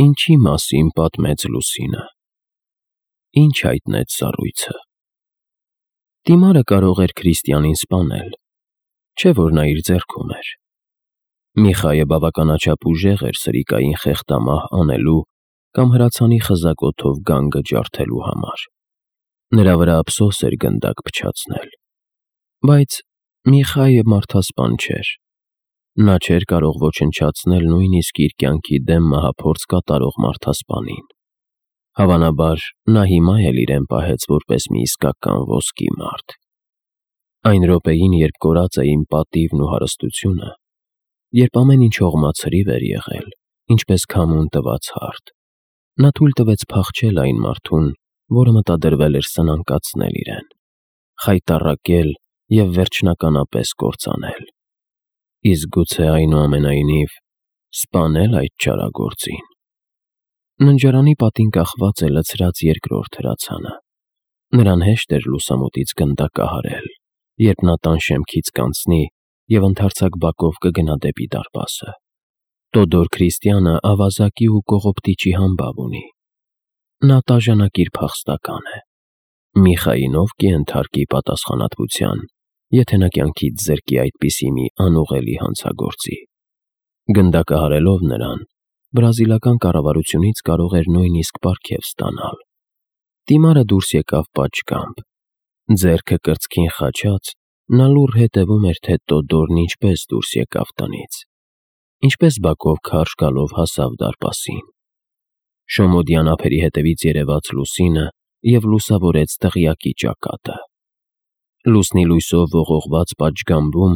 Ինչի մասին պատմեց Լուսինը, ինչ հայտնեց սառույցը։ Դիմարը կարող էր Քրիստիանին սպանել, չէ՞ որ նա իր ձեռքում էր։ Միխայը բավականաչափ ուժեղ էր սրիկային խեղդամահ անելու կամ հրացանի խզակոթով գանգը ջարդելու համար։ Նրա վրա ափսոս էր գնդակ փչացնել։ Բայց Միխայը մարդասպան չէր։ Նա չէր կարող ոչնչացնել նույնիսկ իր կյանքի դեմ մահափորձ կատարող մարդասպանին։ Հավանաբար, նա հիմա էլ իրեն պահեց որպես մի իսկական ոսկի մարդ։ Այն րոպեին, երբ կորած էին պատիվն ու հարստությունը, երբ ամեն ինչ հողմացրիվ էր եղել, ինչպես քամուն տված հարթ, նա թույլ տվեց փախչել այն մարդուն, որը մտադրվել էր սնանկացնել իրեն, խայտառակել և վերջնականապես կործանել։ Իսկ գուցե այնուամենայնիվ սպանել այդ չարագործին։ Ննջարանի պատին կախված է լցրած երկրորդ հրացանը։ Նրան հեշտ էր լուսամուտից գնդակահարել, երբ նա տան շեմքից կանցնի և ընդարձակ բակով կգնա դեպի դարպասը։ Տոդոր Քրիստիանը ավազակի ու կողոպտիչի համբավ ունի։ Նա տաժանակիր փախստական է։ Միխային ով կենթարկի պատասխանատվության, եթե նա կյանքից զրկի այդպիսի մի անուղելի հանցագործի։ Գնդակահարելով նրան, բրազիլական կառավարությունից կարող էր նույնիսկ պարգև ստանալ։ Դիմարը դուրս եկավ պատշգամբ։ Ձեռքը կրծքին խաչած, նա լուռ հետևում էր, թե Տոդորն ինչպես դուրս եկավ տնից, ինչպես բակով քարշ գալով հասավ դարպասին։ Շոմոդյան ափերի հետևից երևաց Լուսինը և լուսավորեց դղյակի ճակատը։ Լուսնի լույսով ողողված պատշգամբում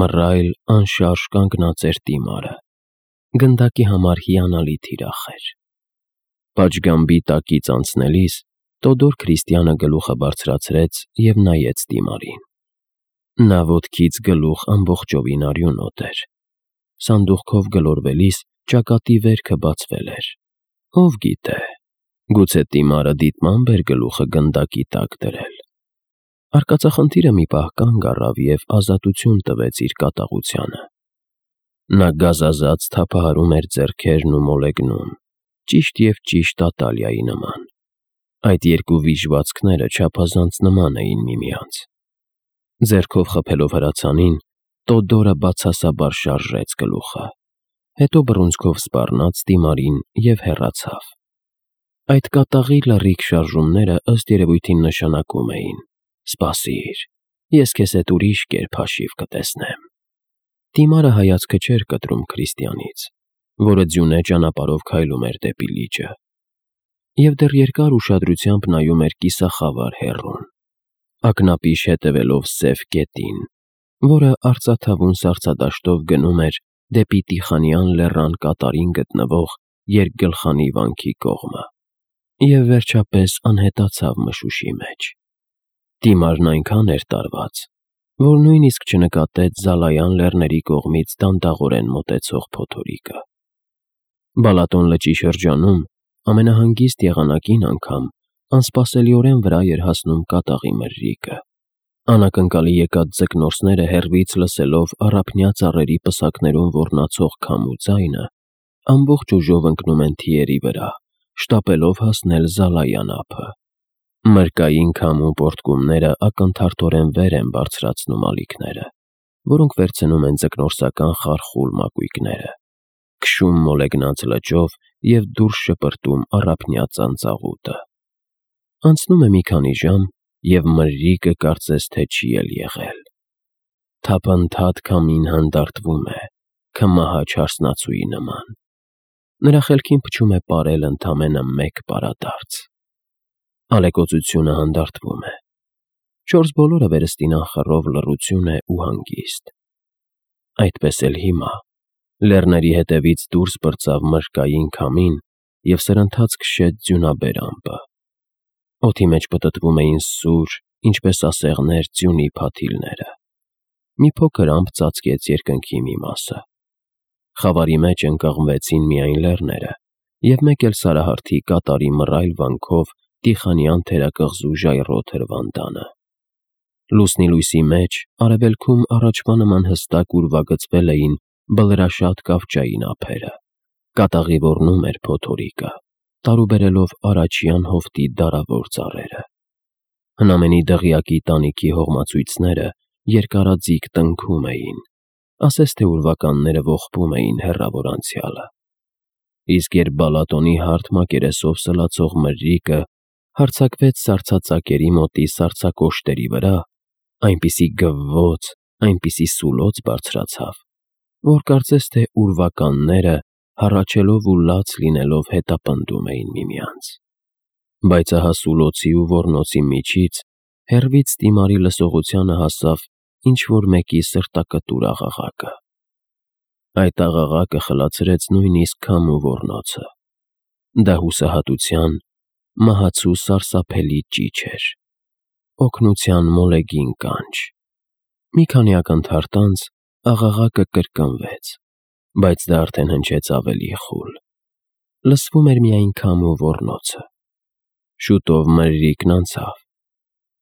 մռայլ, անշարժ կանգնած էր Դիմարը։ Գնդակի համար հիանալի թիրախ էր։ Պատշգամբի տակից անցնելիս Տոդոր Քրիստիանը գլուխը բարձրացրեց և նայեց Դիմարին։ Նա ոտքից գլուխ ամբողջովին արյունոտ էր։ Սանդուղքով գլորվելիս ճակատի վերքը բացվել էր։ Ով գիտե, գուցե Դիմարը դիտմամբ էր գլուխը գնդակի տակ դրել։ Արկածախնդիրը մի պահ կանգ առավ և ազատություն տվեց իր կատաղությանը։ Նա գազազած թափահարում էր ձեռքերն ու մոլեգնում, ճիշտ և ճիշտ Ատալիայի նման։ Այդ երկու վիժվածքները չափազանց նման էին միմյանց։ Ձեռքով խփելով հրացանին, Տոդորը բացասաբար շարժեց գլուխը, հետո բռունցքով սպառնաց Դիմարին և հեռացավ։ Այդ կատաղի լռիկ շարժումները ըստ երևույթին նշանակում էին. «Սպասիր, ես քեզ հետ ուրիշ կերպ հաշիվ կտեսնեմ»։ Դիմարը հայացքը չէր կտրում Քրիստիանից, որը ձյունե ճանապարհով քայլում էր դեպի լիճը, և դեռ երկար ուշադրությամբ նայում էր կիսախավար հեռուն, ակնապիշ հետևելով սև կետին, որը արծաթավուն սառցադաշտով գնում էր դեպի Տիխանյան լեռան կատարին գտնվող երկգլխանի վանքի կողմը, և վերջապես անհետացավ մշուշի մեջ։ Դիմարն այնքան էր տարված, որ նույնիսկ չնկատեց Զալայան լեռների կողմից դանդաղորեն մոտեցող փոթորիկը։ Բալատոն լճի շրջանում ամենահանգիստ եղանակին անգամ անսպասելիորեն վրա էր հասնում կատաղի մրրիկը։ Անակնկալի եկած ձկնորսները հեռվից լսելով առափնյա ծառերի պսակներում ոռնացող քամու ձայնը, ամբողջ ուժով ընկնում են թիերի վրա, շտապելով հասնել Զալայան ափը։ Մրրկային քամու պոռթկումները ակնթարթորեն վեր են բարձրացնում ալիքները, որոնք վերցնում են ձկնորսական խարխուլ մակույկները, քշում մոլեգնած լճով և դուրս շպրտում առափնյա ծանծաղուտը։ Անցնում է մի քանի ժամ, և մրրիկը կարծես թե չի էլ եղել։ Թափանթադ քամին հանդարտվում է, քմահաճ հարսնացուի նման։ Նրա խելքին փչում է պարել ընդամենը մեկ պարադարձ։ Ալեկոծությունը հանդարտվում է։ Չորս բոլորը վերստին անխռով լռություն է ու հանգիստ։ Այդպես էլ հիմա լեռների հետևից դուրս պրծավ մրրկային քամին և սրընթաց քշեց ձյունաբեր ամպը։ Օդի մեջ պտտվում էին սուր, ինչպես ասեղներ, ձյունի փաթիլները։ Մի փոքր ամպ ծածկեց երկնքի մի մասը։ Խավարի մեջ ընկղմվեցին միայն լեռները և մեկ էլ Սարահարթի կատարի մռայլ վանքով Տիխանյան թերակղզու ժայռոտ հրվանդանը։ Լուսնի լույսի մեջ արևելքում առաջվա նման հստակ ուրվագծվել էին բլրաշատ կավճային ափերը, Կատաղի ոռնում էր փոթորիկը, տարուբերելով առաջյան հովտի դարավոր ծառերը։ Հնամենի դղյակի տանիքի հողմացույցները երկարաձիգ տնքում էին, ասես թե ուրվականները ողբում էին հեռավոր անցյալը։ Իսկ երբ Բալատոնի հարթ մակերեսով սլացող մրրիկը հարձակվեց սառցածակերի մոտի սառցակոշտերի վրա, այնպիսի գվվոց, այնպիսի սուլոց բարձրացավ, որ կարծես թե ուրվականները հառաչելով ու լաց լինելով հետապնդում էին միմյանց։ Բայց ահա սուլոցի ու ոռնոցի միջից հեռվից դիմարի լսողությանը հասավ ինչ-որ մեկի սրտակտուր աղաղակը։ Այդ աղաղակը խլացրեց նույնիսկ քամու ոռնոցը։ Դա հուսահատության, մահացու սարսափելի ճիչ էր, օգնության մոլեգին կանչ։ Մի քանի ակնթարթ անց աղաղակը կրկնվեց, բայց դա արդեն հնչեց ավելի խուլ։ Լսվում էր միայն քամու ոռնոցը։ Շուտով մրրիկն անցավ։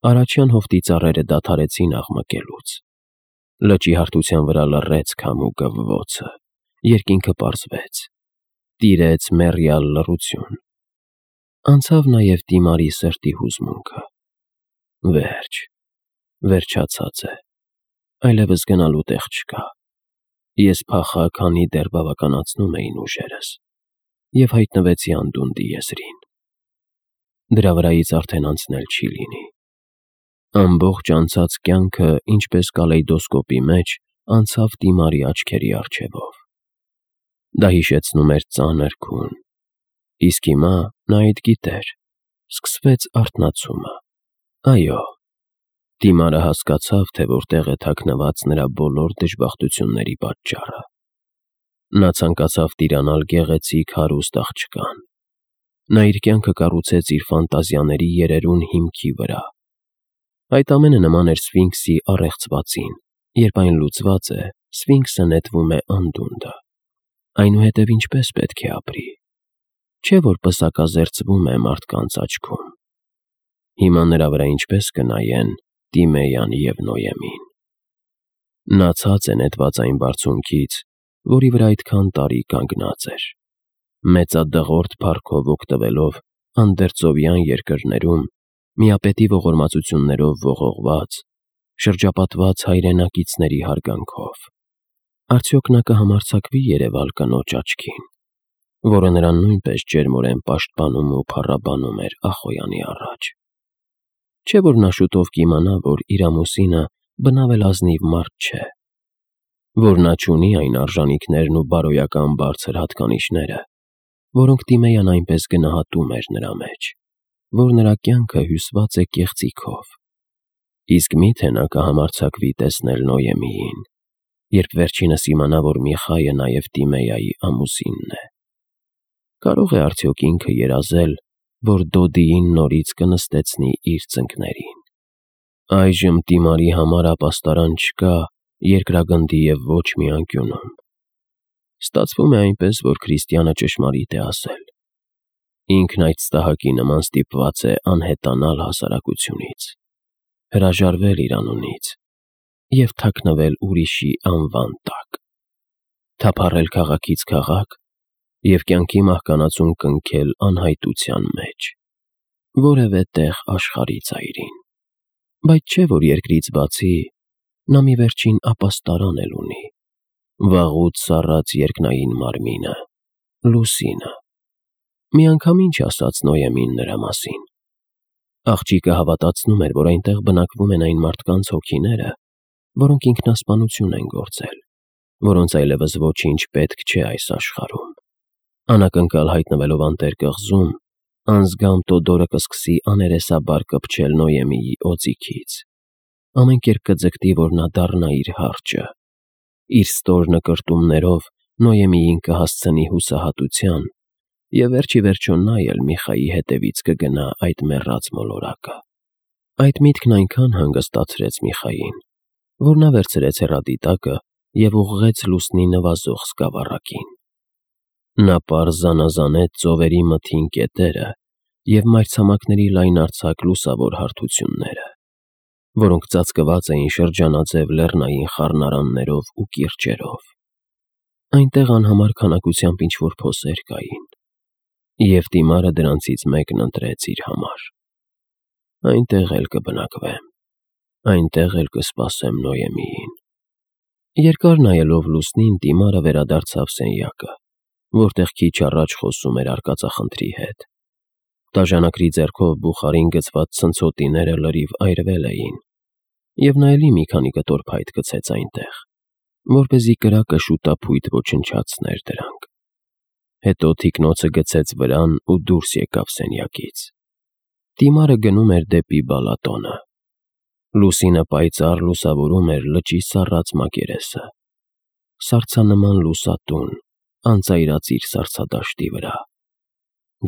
Առաջյան հովտի ծառերը դադարեցին աղմկելուց։ Լճի հարթության վրա լռեց քամու գվվոցը, երկինքը պարզվեց, տիրեց մեռյալ լռություն։ Անցավ նաև դիմարի սրտի հուզմունքը։ Վերջ, վերջացած է, այլևս գնալու տեղ չկա։ Ես փախա, քանի դեռ բավականացնում էին ուժերս, և հայտնվեցի անդունդի եզրին։ Դրա վրայից արդեն անցնել չի լինի։ Ամբողջ անցած կյանքը, ինչպես կալեյդոսկոպի մեջ, անցավ դիմարի աչքերի առջևով։ Դա հիշեցնում էր ծանր քուն։ Իսկ հիմա նա այդ գիտեր, սկսվեց արթնացումը։ Այո, դիմարը հասկացավ, թե որտեղ է թաքնված նրա բոլոր դժբախտությունների պատճառը։ Նա ցանկացավ տիրանալ գեղեցիկ հարուստ աղջկան։ Նա իր կյանքը կառուցեց իր ֆանտազիաների երերուն հիմքի վրա։ Այդ ամենը նման էր Սֆինքսի առեղծվածին, երբ այն լուծված է, Սֆինքսը նետվում է անդունդը։ Այնուհետև ինչպես պետք է ապրի։ Չէ՞ որ պսակազերծվում է մարդկանց աչքում։ Հիմա նրա վրա ինչպես կնայեն Տիմեյան և Նոյեմին։ Նա ցած է նետված այն բարձունքից, որի վրա այդքան տարի կանգնած էր։ Մեծադղորդ փառքով օգտվելով անդերձովյան երկրներում, միապետի ողորմածություններով ողողված, շրջապատված հայրենակիցների հարգանքով։ Արդյոք նա կհամարձակվի երևալ կնոջ աչքին, որը նրան նույնպես ջերմորեն պաշտպանում ու փառաբանում էր Ախոյանի առաջ։ Չէ՞ որ նա շուտով կիմանա, որ իր ամուսինը բնավ էլ ազնիվ մարդ չէ, որ նա չունի այն արժանիքներն ու բարոյական բարձր հատկանիշները, որոնք Տիմեյան այնպես գնահատում էր նրա մեջ, որ նրա կյանքը հյուսված է կեղծիքով։ Իսկ մի՞թե նա կհամարձակվի տեսնել Նոյեմիին, երբ վերջինս իմանա, որ Միխայը նաև Տիմեյայի ամուսինն է։ Կարո՞ղ է արդյոք ինքը երազել, որ Դոդիին նորից կնստեցնի իր ծնկներին։ Այժմ Տիմարի համար ապաստարան չկա երկրագնդի և ոչ մի անկյունում։ Ստացվում է այնպես, որ քրիստյանը ճշմարիտ է ասել։ Ինքն այդ ստահակի նման ստիպված է անհետանալ հասարակությունից, հրաժարվել իր անունից և թաքնվել ուրիշի անվան տակ, թափառել քաղաքից քաղաք և կյանքի մահկանացուն կնքել անհայտության մեջ, որևէ տեղ աշխարհի ծայրին։ Բայց չէ՞ որ երկրից բացի նա մի վերջին ապաստարան էլ ունի, վաղուց սառած երկնային մարմինը՝ Լուսինը։ Մի անգամ ինչ ասաց Նոյեմին նրա մասին։ Աղջիկը հավատացնում էր, որ այնտեղ բնակվում են այն մարդկանց հոգիները, որոնք ինքնասպանություն են գործել, որոնց այլևս ոչինչ պետք չէ այս աշխարհում։ Անակնկալ հայտնվելով անտեր կղզում, անզգամ Տոդորը կսկսի աներեսաբար կպչել Նոյեմիի օձիքից։ Ամեն կերպ կձգտի, որ նա դառնա իր հարճը։ Իր ստոր նկրտումներով Նոյեմիին կհասցնի հուսահատության, և վերջ ի վերջո նա էլ Միխայի հետևից կգնա այդ մեռած մոլորակը։ Այդ միտքն այնքան հանգստացրեց Միխային, որ նա վերցրեց հեռադիտակը և ուղղեց լուսնի նվազող սկավառակին։ Նա պարզ զանազանեց ծովերի մթին կետերը և մայրցամաքների լայնարձակ լուսավոր հարթությունները, որոնք ծածկված էին շրջանաձև լեռնային խառնարաններով ու կիրճերով։ Այնտեղ անհամար քանակությամբ ինչ-որ փոսեր կային, և դիմարը դրանցից մեկն ընտրեց իր համար։ Այնտեղ էլ կբնակվեմ, այնտեղ էլ կսպասեմ Նոյեմիին։ Երկար նայելով լուսնին, դիմարը վերադարձավ սենյակը, որտեղ քիչ առաջ խոսում էր արկածախնդրի հետ։ Դաժանակրի ձեռքով բուխարին գցված ցնցոտիները լրիվ այրվել էին, և նա էլի մի քանի կտոր փայտ գցեց այնտեղ, որպեսզի կրակը շուտափույթ ոչնչացներ դրանք։ Հետո թիկնոցը գցեց վրան ու դուրս եկավ սենյակից։ Դիմարը գնում էր դեպի բալատոնը։ Լուսինը պայծառ լուսավորում էր լճի սառած մակերեսը։ Սառցանման լուսատուն, անծայրածիր սառցադաշտի վրա։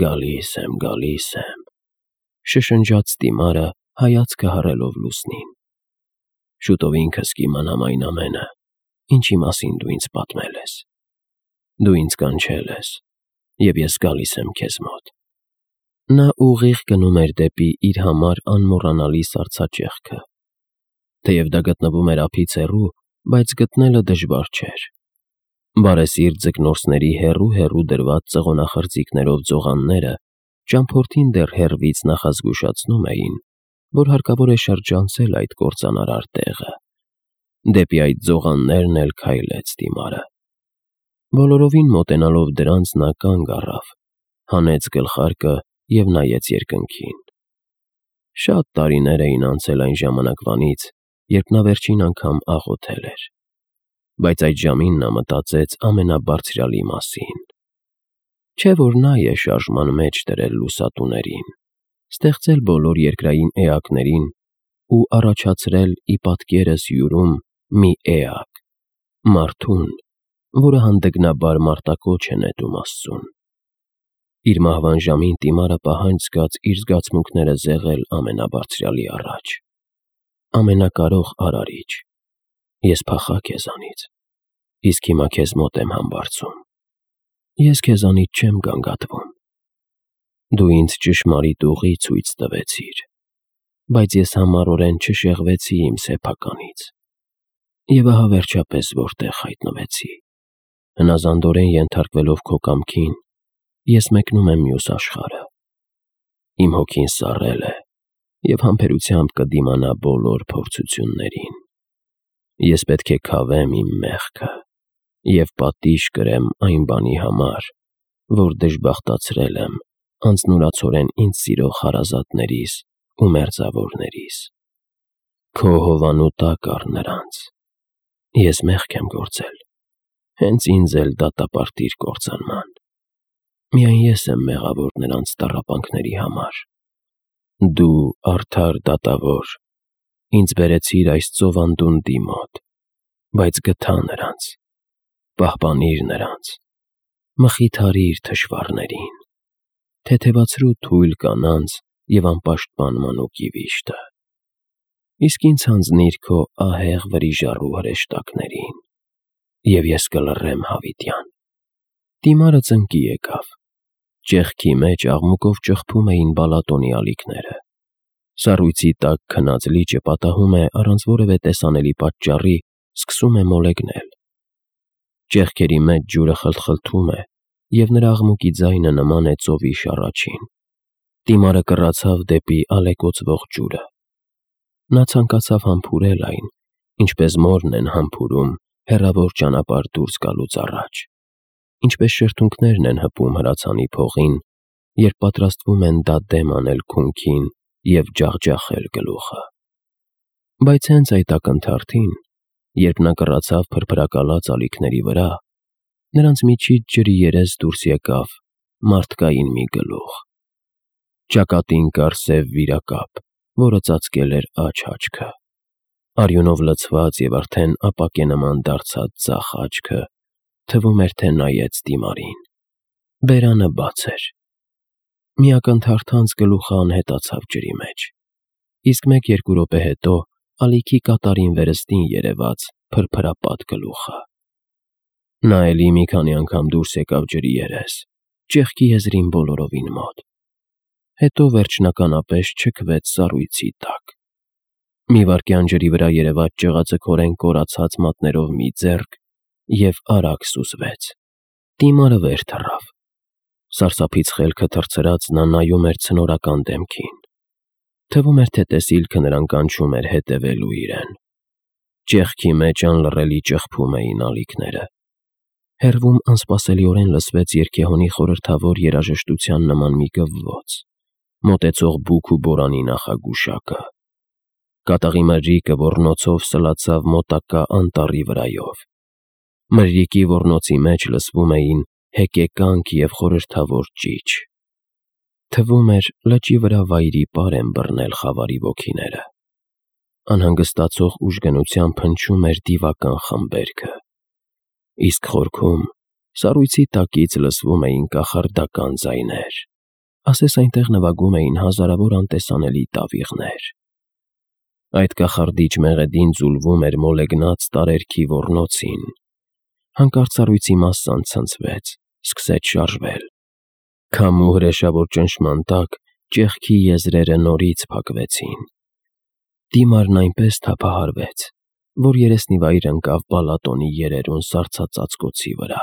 Գալիս եմ, շշնջաց դիմարը, հայացքը հառելով լուսնին։ Շուտով ինքս կիմանամ այն ամենը, ինչի մասին դու ինձ պատմել ես։ Դու ինձ կանչել ես, և ես գալիս եմ քեզ մոտ։ Նա ուղիղ գնում էր դեպի իր համար անմոռանալի սառցաճեղքը։ Թեև դա գտնվում էր ափից հեռու, բայց գտնելը դժվար չէր։ Բարեսիրտ ձկնորսների հեռու դրված ծղոնախրձիքներով ձողանները ճամփորդին դեռ հեռվից նախազգուշացնում էին, որ հարկավոր է շրջանցել այդ կործանարար տեղը։ Դեպի այդ ձողաններն էլ քայլեց դիմարը։ Բոլորովին մոտենալով դրանց նա կանգ առավ, հանեց գլխարկը և նայեց երկնքին։ Շատ տարիներ էին անցել այն ժամանակվանից, երբ նա վերջին անգամ աղոթել էր, բայց այդ ժամին նա մտածեց ամենաբարձրյալի մասին։ Չէ՞ որ նա է շարժման մեջ դրել լուսատուներին, ստեղծել բոլոր երկրային էակներին ու առաջացրել ի պատկերս յուրում մի էակ՝ մարդուն, որը հանդգնաբար մարտակոչ է նետում Աստծուն։ Իր մահվան ժամին դիմարը պահանջ զգաց իր զգացմունքները զեղել ամենաբարձրյալի առաջ։ Ամենակարող Արարիչ, ես փախա քեզանից, իսկ հիմա քեզ մոտ եմ համբարձում։ Ես քեզանից չեմ գանգատվում։ Դու ինձ ճշմարիտ ուղի ցույց տվեցիր, բայց ես համառորեն չշեղվեցի իմ սեփականից։ Եվ ահա վերջապես որտեղ հայտնվեցի։ Հնազանդորեն ենթարկվելով քո կամքին, ես մեկնում եմ մյուս աշխարհը։ Իմ հոգին սառել է և համբերությամբ կդիմանա բոլոր փորձություններին։ Ես պետք է քավեմ իմ մեղքը և պատիժ կրեմ այն բանի համար, որ դժբախտացրել եմ անձնուրացորեն ինձ սիրող հարազատներիս ու մերձավորներիս։ Քո հովանու տակ առ նրանց։ Ես մեղք եմ գործել, հենց ինձ էլ դատապարտիր կործանման։ Միայն ես եմ մեղավոր նրանց տառապանքների համար։ Դու, արդար դատավոր, ինձ բերեցիր այս ծովանդունդի մոտ, բայց գտա նրանց։ Պահպանիր նրանց, մխիթարիր թշվառներին, թեթևացրու թույլ կանանց և անպաշտպան մանուկի վիշտը։ Իսկ ինձ հանձնիր քո ահեղ վրիժառու հրեշտակներին, և ես կլռեմ հավիտյան։ Դիմարը ծնկի եկավ։ Ճեղքի մեջ աղմուկով ճխփում էին բալատոնի ալիքները։ Սառույցի տակ քնած լիճը պատահում է առանց որևէ տեսանելի պատճառի սկսում է մոլեգնել։ Ճեղքերի մեջ ջուրը խլթխլթում է, և նրա աղմուկի ձայնը նման է ծովի շառաչին։ Դիմարը կռացավ դեպի ալեկոծվող ջուրը։ Նա ցանկացավ համբուրել այն, ինչպես մորն են համբուրում հեռավոր ճանապարհ դուրս գալուց առաջ, ինչպես շրթունքներն են հպում հրացանի փողին, երբ պատրաստվում են դա դեմ անել քունքին և ջախջախել գլուխը։ Բայց հենց այդ ակնթարթին, երբ նա կռացավ փրփրակալած ալիքների վրա, նրանց միջից ջրի երես դուրս եկավ մարդկային մի գլուխ։ Ճակատին կար սև վիրակապ, որը ծածկել էր աջ աչքը։ Արյունով լցված և արդեն ապակե նման դարձած ձախ աչքը թվում էր, թե նայեց դիմարին։ Բերանը բաց էր։ Մի ակնթարթանց գլուխը անհետացավ ջրի մեջ, իսկ 1-2 րոպե հետո ալիքի կատարին վերստին երևաց փրփրապատ գլուխը։ Նա էլի մի քանի անգամ դուրս եկավ ջրի երես, ճեղքի եզրին բոլորովին մոտ։ Հետո վերջնականապես չքվեց սառույցի տակ։ Մի վայրկյան ջրի վրա երևաց ճղածքորեն կորացած մատներով մի ձեռք և արագ սուզվեց։ Դիմարը վեր թռավ։ Սարսափից խելքը թռցրած նա նայում էր ցնորական դեմքին։ Թվում էր, թե տեսիլքը նրան կանչում էր հետևելու իրեն։ Ճեղքի մեջ անլռելի ճխփում էին ալիքները։ Հեռվում անսպասելիորեն լսվեց երգեհոնի խորհրդավոր երաժշտության նման մի գվվոց, մոտեցող բուք ու բորանի նախագուշակը։ Կատաղի մրրիկը ոռնոցով սլացավ մոտակա անտառի վրայով։ Մրրիկի ոռնոցի մեջ լսվում էին հեկեկանք և խորհրդավոր ճիչ։ Թվում էր, լճի վրա վայրի պար են բռնել խավարի ոգիները։ Անհանգստացող ուժգնությամբ հնչում էր դիվական խմբերգը։ Իսկ խորքում, սառույցի տակից լսվում էին կախարդական ձայներ, ասես այնտեղ նվագում էին հազարավոր անտեսանելի տավիղներ։ Այդ կախարդիչ մեղեդին ձուլվում էր մոլեգնած տարերքի ոռնոցին։ Հանկարծ սառույցի մասսան ցնցվեց, սկսեց շարժվել։ Քամու հրեշավոր ճնշման տակ ճեղքի եզրերը նորից փակվեցին։ Դիմարն այնպես թափահարվեց, որ երեսնիվայր ընկավ Բալատոնի երերուն սառցածածկոցի վրա։